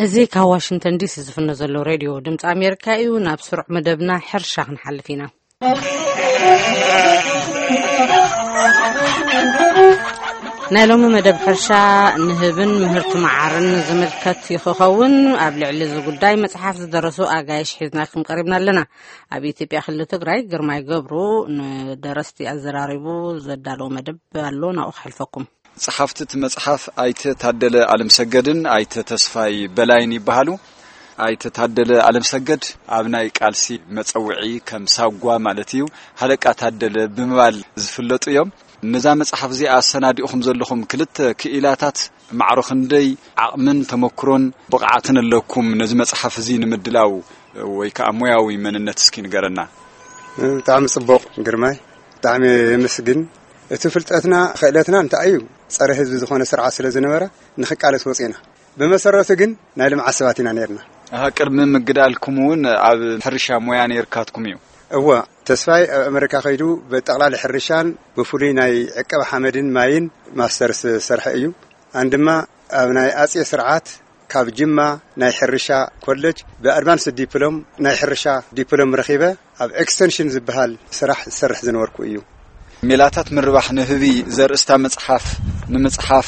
እዚ ካብ ዋሽንግተን ዲሲ ዝፍኖ ዘሎ ሬድዮ ድምፂ ኣሜሪካ እዩ። ናብ ስሩዕ መደብና ሕርሻ ክንሓልፍ ኢና። ናይ ሎሚ መደብ ሕርሻ ንህብን ምህርቲ መዓርን ዝምልከት ይኸውን። ኣብ ልዕሊ እዚ ጉዳይ መፅሓፍ ዝደረሱ ኣጋይሽ ሒዝናኩም ቀሪብና ኣለና። ኣብ ኢትዮጵያ ክልል ትግራይ ግርማይ ገብሩ ንደረስቲ ኣዘራሪቡ ዘዳለዎ መደብ ኣሎ፣ ናብኡ ክሕልፈኩም። ጸሓፍቲ እቲ መጽሓፍ ኣይተ ታደለ ኣለምሰገድን ኣይተ ተስፋይ በላይን ይበሃሉ። ኣይተ ታደለ ኣለምሰገድ ኣብ ናይ ቃልሲ መጸውዒ ከም ሳጓ ማለት እዩ፣ ሃለቃ ታደለ ብምባል ዝፍለጡ እዮም። ነዛ መጽሓፍ እዚኣ ኣሰናዲእኹም ዘለኹም ክልተ ክኢላታት ማዕሮ ክንደይ ዓቕምን ተመክሮን ብቕዓትን ኣለኩም ነዚ መጽሓፍ እዚ ንምድላው ወይ ከኣ ሞያዊ መንነት እስኪ ንገረና። ብጣዕሚ ጽቡቕ ግርማይ፣ ብጣዕሚ የመስግን። እቲ ፍልጠትና ክእለትና እንታይ እዩ? ጸረ ህዝቢ ዝኾነ ስርዓት ስለ ዝነበረ ንኽቃለስ ወጺና። ብመሰረቱ ግን ናይ ልምዓት ሰባት ኢና ነይርና። ኣሃ፣ ቅድሚ ምግዳልኩም እውን ኣብ ሕርሻ ሞያ ነይርካትኩም እዩ? እወ፣ ተስፋይ ኣብ ኣመሪካ ከይዱ ብጠቕላሊ ሕርሻን ብፍሉይ ናይ ዕቀባ ሓመድን ማይን ማስተርስ ዝሰርሐ እዩ። ኣን ድማ ኣብ ናይ ኣጼ ስርዓት ካብ ጅማ ናይ ሕርሻ ኮሌጅ ብኣድቫንስ ዲፕሎም ናይ ሕርሻ ዲፕሎም ረኺበ ኣብ ኤክስተንሽን ዝበሃል ስራሕ ዝሰርሕ ዝነበርኩ እዩ። ሜላታት ምርባሕ ንህቢ ዘርእስታ መጽሓፍ ንምጽሓፍ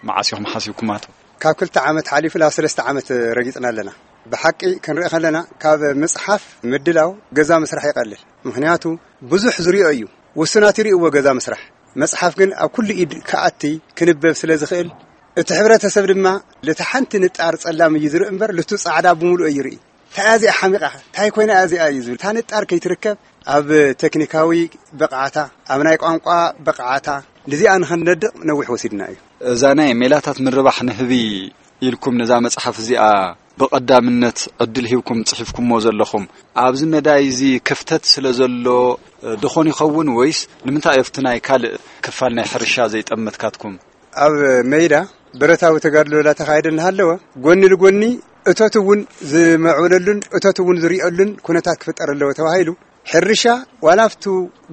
መዓስ ኢኹም ሓሲብኩማቶ? ካብ ክልተ ዓመት ሓሊፉ ናብ ሰለስተ ዓመት ረጊጽና ኣለና። ብሓቂ ክንርኢ ከለና ካብ ምጽሓፍ ምድላው ገዛ ምስራሕ ይቐልል። ምኽንያቱ ብዙሕ ዝሪኦ እዩ። ውሱናት ይርእይዎ ገዛ ምስራሕ። መጽሓፍ ግን ኣብ ኩሉ ኢድ ክኣቲ ክንበብ ስለ ዝኽእል፣ እቲ ሕብረተሰብ ድማ ልቲ ሓንቲ ንጣር ጸላም እዩ ዝርኢ እምበር ልቱ ጻዕዳ ብምሉእ ይርኢ። እንታይ እያ እዚኣ ሓሚቓ? እንታይ ኮይና እያ እዚኣ እዩ ዝብል። እታ ንጣር ከይትርከብ ኣብ ቴክኒካዊ ብቕዓታ፣ ኣብ ናይ ቋንቋ ብቕዓታ፣ ንዚኣ ንኽንነድቕ ነዊሕ ወሲድና እዩ። እዛ ናይ ሜላታት ምርባሕ ንህቢ ኢልኩም ነዛ መጽሓፍ እዚኣ ብቐዳምነት ዕድል ሂብኩም ጽሒፍኩሞ ዘለኹም፣ ኣብዚ መዳይ እዚ ክፍተት ስለ ዘሎ ዶ ኾን ይኸውን ወይስ ንምንታይ ኣብቲ ናይ ካልእ ክፋል ናይ ሕርሻ ዘይጠመትካትኩም? ኣብ መይዳ ብረታዊ ተጋድሎ እንዳተኻየደ እናሃለወ፣ ጎኒ ንጎኒ እቶት እውን ዝምዕብለሉን እቶት እውን ዝርአሉን ኩነታት ክፍጠር ኣለዎ ተባሂሉ፣ ሕርሻ ዋላ ኣብቱ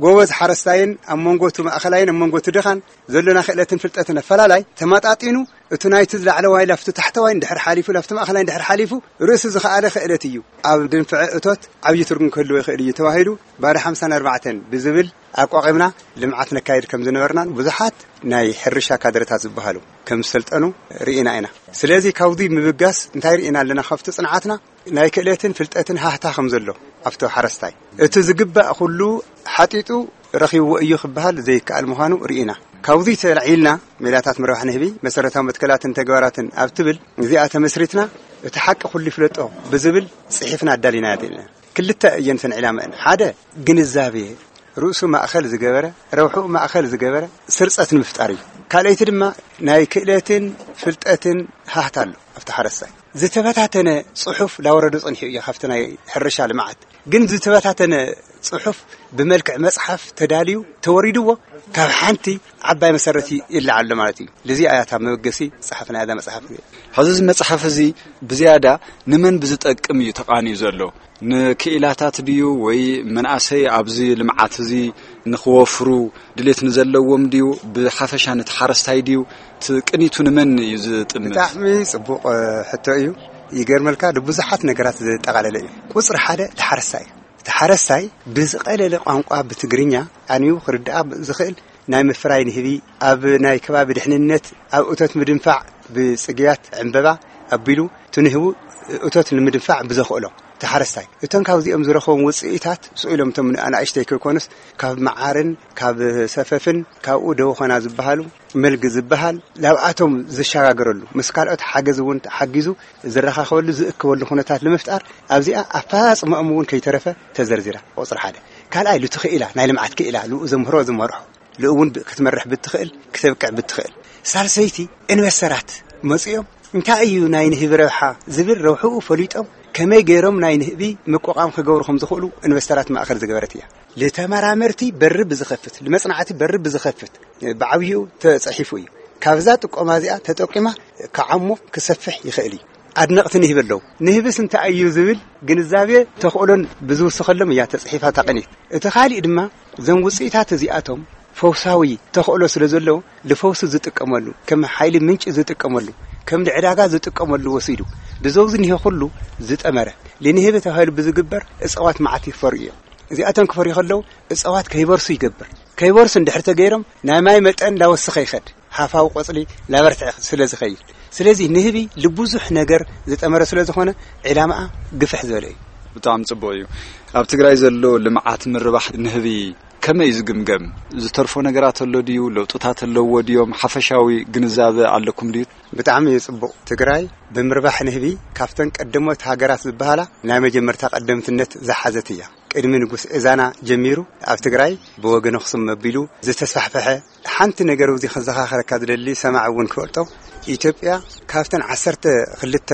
ጎበዝ ሓረስታይን ኣብ መንጎቱ ማእኸላይን ኣብ መንጎቱ ድኻን ዘሎና ክእለትን ፍልጠትን ኣፈላላይ ተመጣጢኑ፣ እቱ ናይቲ ላዕለዋይ ላፍቱ ታሕተዋይ እንድሕር ሓሊፉ ላፍቱ ማእኸላይ እንድሕር ሓሊፉ ርእሱ ዝኸኣለ ክእለት እዩ። ኣብ ድንፍዐ እቶት ዓብዪ ትርጉም ክህልዎ ይኽእል እዩ ተባሂሉ ባዶ ሓምሳን ኣርባዕተን ብዝብል ኣቋቒምና ልምዓት ነካይድ ከም ዝነበርናን ብዙሓት ናይ ሕርሻ ካድረታት ዝበሃሉ ከም ዝሰልጠኑ ርኢና ኢና። ስለዚ ካብዚ ምብጋስ እንታይ ርኢና ኣለና? ካብቲ ጽንዓትና ናይ ክእለትን ፍልጠትን ሃህታ ከም ዘሎ ኣብቲ ሓረስታይ እቲ ዝግባእ ኩሉ ሓጢጡ ረኺብዎ እዩ ክበሃል ዘይከኣል ምዃኑ ርኢና። ካብዚ ተላዒልና ሜላታት ምርባሕ ንህቢ መሰረታዊ መትከላትን ተግባራትን ኣብ ትብል እዚኣ ተመስሪትና እቲ ሓቂ ኩሉ ይፍለጦ ብዝብል ጽሒፍና ኣዳሊናያ ዘለና። ክልተ እየን እተን ዕላማእን። ሓደ ግንዛቤ ርእሱ ማእኸል ዝገበረ፣ ረብሕኡ ማእኸል ዝገበረ ስርጸት ንምፍጣር እዩ። ካልኣይቲ ድማ ናይ ክእለትን ፍልጠትን ሃህታ ኣሎ ኣብቲ ሓረስታይ። ዝተበታተነ ጽሑፍ ላወረዶ ጸኒሑ እዩ ካብቲ ናይ ሕርሻ ልምዓት። ግን ዝተበታተነ ጽሑፍ ብመልክዕ መጽሓፍ ተዳልዩ ተወሪድዎ ካብ ሓንቲ ዓባይ መሰረት ይለዓል ኣሎ ማለት እዩ። ልዚኣ እያ እታ መበገሲ ጸሓፍና እዛ መጽሓፍ። ሕዚ እዚ መጽሓፍ እዚ ብዝያዳ ንመን ብዝጠቅም እዩ ተቓንዩ ዘሎ? ንክኢላታት ድዩ ወይ መናእሰይ ኣብዚ ልምዓት እዚ ንኽወፍሩ ድሌት ንዘለዎም ድዩ? ብሓፈሻ ነቲ ሓረስታይ ድዩ? እቲ ቅኒቱ ንመን እዩ ዝጥምት? ብጣዕሚ ጽቡቕ፣ እ፣ ሕቶ እዩ። ይገርመልካ፣ ንብዙሓት ነገራት ዘጠቓለለ እዩ። ቁጽሪ ሓደ እቲ ሓረስታይ እዩ። እቲ ሓረስታይ ብዝቐለለ ቋንቋ ብትግርኛ ኣንቢቡ ክርድኣ ዝኽእል ናይ ምፍራይ ንህቢ፣ ኣብ ናይ ከባቢ ድሕንነት፣ ኣብ እቶት ምድንፋዕ ብጽግያት ዕምበባ ኣቢሉ እቲ ንህቡ እቶት ንምድንፋዕ ብዘኽእሎ እቲ ሓረስታይ። እቶም ካብዚኦም ዝረኸቦም ውጽኢታት ስኢሎም እቶም ኣናእሽተይ ከይኮኑስ ካብ መዓርን ካብ ሰፈፍን ካብኡ ደወኾና ዝበሃሉ መልጊ ዝበሃል ናብኣቶም ዝሸጋገረሉ ምስ ካልኦት ሓገዝ እውን ሓጊዙ ዝረኻኸበሉ ዝእከበሉ ኩነታት ንምፍጣር ኣብዚኣ ኣፈጻጽማኦም እውን ከይተረፈ ተዘርዚራ። ቁጽሪ ሓደ። ካልኣይ፣ ልቲ ክኢላ፣ ናይ ልምዓት ክኢላ፣ ልኡ ዘምህሮ ዝመርሖ፣ ልኡ እውን ብ-፣ ክትመርሕ ብትኽእል፣ ክተብቅዕ ብትኽእል። ሳልሰይቲ፣ ኢንቨስተራት መጺኦም እንታይ እዩ ናይ ንህቢ ረብሓ ዝብል ረብሕኡ ፈሊጦም ከመይ ገይሮም ናይ ንህቢ ምቁቋም ክገብሩ ከም ዝኽእሉ ኢንቨስተራት ማእከል ዝገበረት እያ። ልተመራመርቲ በሪ ብዝኸፍት፣ ልመጽናዕቲ በሪ ብዝኸፍት ብዓብይኡ ተጸሒፉ እዩ። ካብዛ ጥቆማ እዚኣ ተጠቂማ ክዓሞ ክሰፍሕ ይኽእል እዩ። ኣድነቕቲ ንህቢ ኣለዉ። ንህብስ እንታይ እዩ ዝብል ግንዛቤ ተኽእሎን ብዝውስኸሎም እያ ተጽሒፋ እታ ቅኒት። እቲ ካሊእ ድማ እዞም ውጽኢታት እዚኣቶም ፈውሳዊ ተኽእሎ ስለ ዘለዎ ንፈውሲ ዝጥቀመሉ፣ ከም ሓይሊ ምንጪ ዝጥቀመሉ፣ ከም ዕዳጋ ዝጥቀመሉ ወሲዱ ብዘውዚ እኒሄ ኩሉ ዝጠመረ፣ ልንህቢ ተባሂሉ ብዝግበር እፅዋት መዓት ይፈርዩ እዮም። እዚኣቶም ክፈርዩ ከለዉ እፅዋት ከይበርሱ ይገብር። ከይበርሱ እንድሕር ተገይሮም ናይ ማይ መጠን ላወሰኸ ይኸድ፣ ሃፋዊ ቆፅሊ ላበርትዐ ስለ ዝኸይድ። ስለዚ ንህቢ ልብዙሕ ነገር ዝጠመረ ስለ ዝኾነ ዕላማኣ ግፍሕ ዝበለ እዩ። ብጣዕሚ ጽቡቕ እዩ። ኣብ ትግራይ ዘሎ ልምዓት ምርባሕ ንህቢ ከመይ እዩ ዝግምገም? ዝተርፎ ነገራት ኣሎ ድዩ? ለውጥታት ኣለዎ ድዮም? ሓፈሻዊ ግንዛበ ኣለኩም ድዩ? ብጣዕሚ እዩ ጽቡቕ። ትግራይ ብምርባሕ ንህቢ ካብተን ቀደሞት ሃገራት ዝበሃላ ናይ መጀመርታ ቀደምትነት ዝሓዘት እያ። ቅድሚ ንጉስ እዛና ጀሚሩ ኣብ ትግራይ ብወገን ኣኽሱም መቢሉ ዝተስፋሕፈሐ ሓንቲ ነገር እዚ ክዘኻኸረካ ዝደሊ ሰማዕ እውን ክፈልጦ፣ ኢትዮጵያ ካብተን ዓሰርተ ክልተ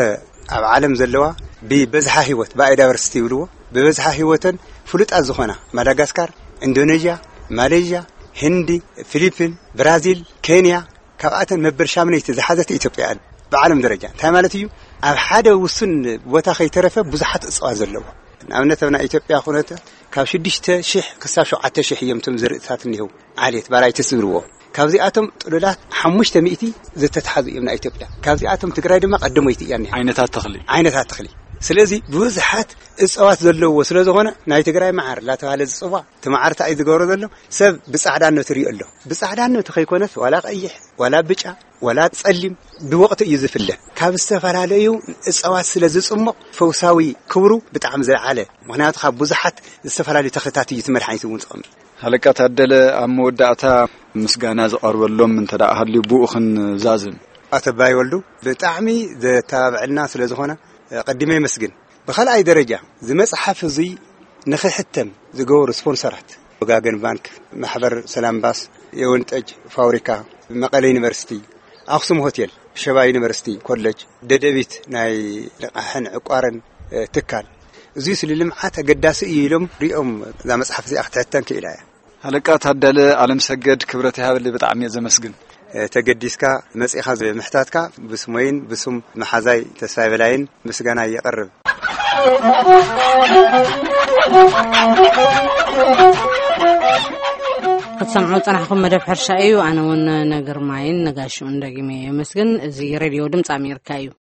ኣብ ዓለም ዘለዋ ብበዝሓ ህይወት፣ ባዮዳይቨርሲቲ ይብልዎ፣ ብበዝሓ ህይወተን ፍሉጣት ዝኾና ማዳጋስካር፣ ኢንዶኔዥያ፣ ማሌዥያ፣ ህንዲ፣ ፊሊፒን፣ ብራዚል፣ ኬንያ፣ ካብኣተን መበል ሻምነይቲ ዝሓዘት ኢትዮጵያ እያ ብዓለም ደረጃ። እንታይ ማለት እዩ? ኣብ ሓደ ውሱን ቦታ ከይተረፈ ብዙሓት እፅዋት ዘለዎ። ንኣብነት ኣብ ናይ ኢትዮጵያ ኩነታት ካብ ሽዱሽተ ሽሕ ክሳብ ሸውዓተ ሽሕ እዮም እቶም ዘርእታት እኒሄው ዓሌት ባራይትስ ዝብልዎ። ካብዚኣቶም ጥሉላት ሓሙሽተ ሚእቲ ዝተትሓዙ እዮም ናይ ኢትዮጵያ። ካብዚኣቶም ትግራይ ድማ ቀደሞይቲ እያ እኒሃ። ዓይነታት ተኽሊ። ዓይነታት ተኽሊ። ስለዚ ብዙሓት እፅዋት ዘለዎ ስለ ዝኾነ ናይ ትግራይ መዓር እናተባሃለ ዝፅዋዕ፣ እቲ መዓር እንታይ እዩ ዝገብሮ ዘሎ? ሰብ ብፃዕዳነቱ ይሪኦ ኣሎ። ብፃዕዳነቱ ከይኮነስ ዋላ ቀይሕ፣ ዋላ ብጫ፣ ዋላ ፀሊም ብወቕቱ እዩ ዝፍለ። ካብ ዝተፈላለዩ እፅዋት ስለ ዝፅሞቕ ፈውሳዊ ክብሩ ብጣዕሚ ዝለዓለ። ምኽንያቱ ካብ ብዙሓት ዝተፈላለዩ ተኽልታት እዩ እቲ መድሓኒት እውን ዝቐምጥ። ሃለቃ ታደለ፣ ኣብ መወዳእታ ምስጋና ዝቐርበሎም እንተ ደኣ ሃልዩ ብኡ ክንዛዝም። ኣቶ ኣባይ ወልዱ ብጣዕሚ ዘተባብዐልና ስለ ዝኾነ ቀዲመ የመስግን። ብኻልኣይ ደረጃ እዚ መጽሓፍ እዚ ንኽሕተም ዝገበሩ ስፖንሰራት ወጋገን ባንክ፣ ማሕበር ሰላም ባስ፣ የወይን ጠጅ ፋብሪካ፣ መቐለ ዩኒቨርሲቲ፣ ኣኽሱም ሆቴል፣ ሸባ ዩኒቨርሲቲ ኮሌጅ፣ ደደቢት ናይ ልቓሕን ዕቋርን ትካል፣ እዚስ ንልምዓት ኣገዳሲ እዩ ኢሎም ሪኦም እዛ መጽሓፍ እዚኣ ክትሕተም ክኢላ እያ። ሃለቃ ታደለ ኣለምሰገድ፣ ክብረት ይሃበለይ፣ ብጣዕሚ እየ ዘመስግን። ተገዲስካ መጺኻ ብምሕታትካ ብስመይን ብስም መሓዛይ ተስፋይ በላይን ምስጋና የቕርብ። ክትሰምዑ ዝጸናሕኩም መደብ ሕርሻ እዩ። ኣነ እውን ንግርማይን ንጋሽኡን ደጊመ የመስግን። እዚ ሬድዮ ድምፂ ኣሜሪካ እዩ።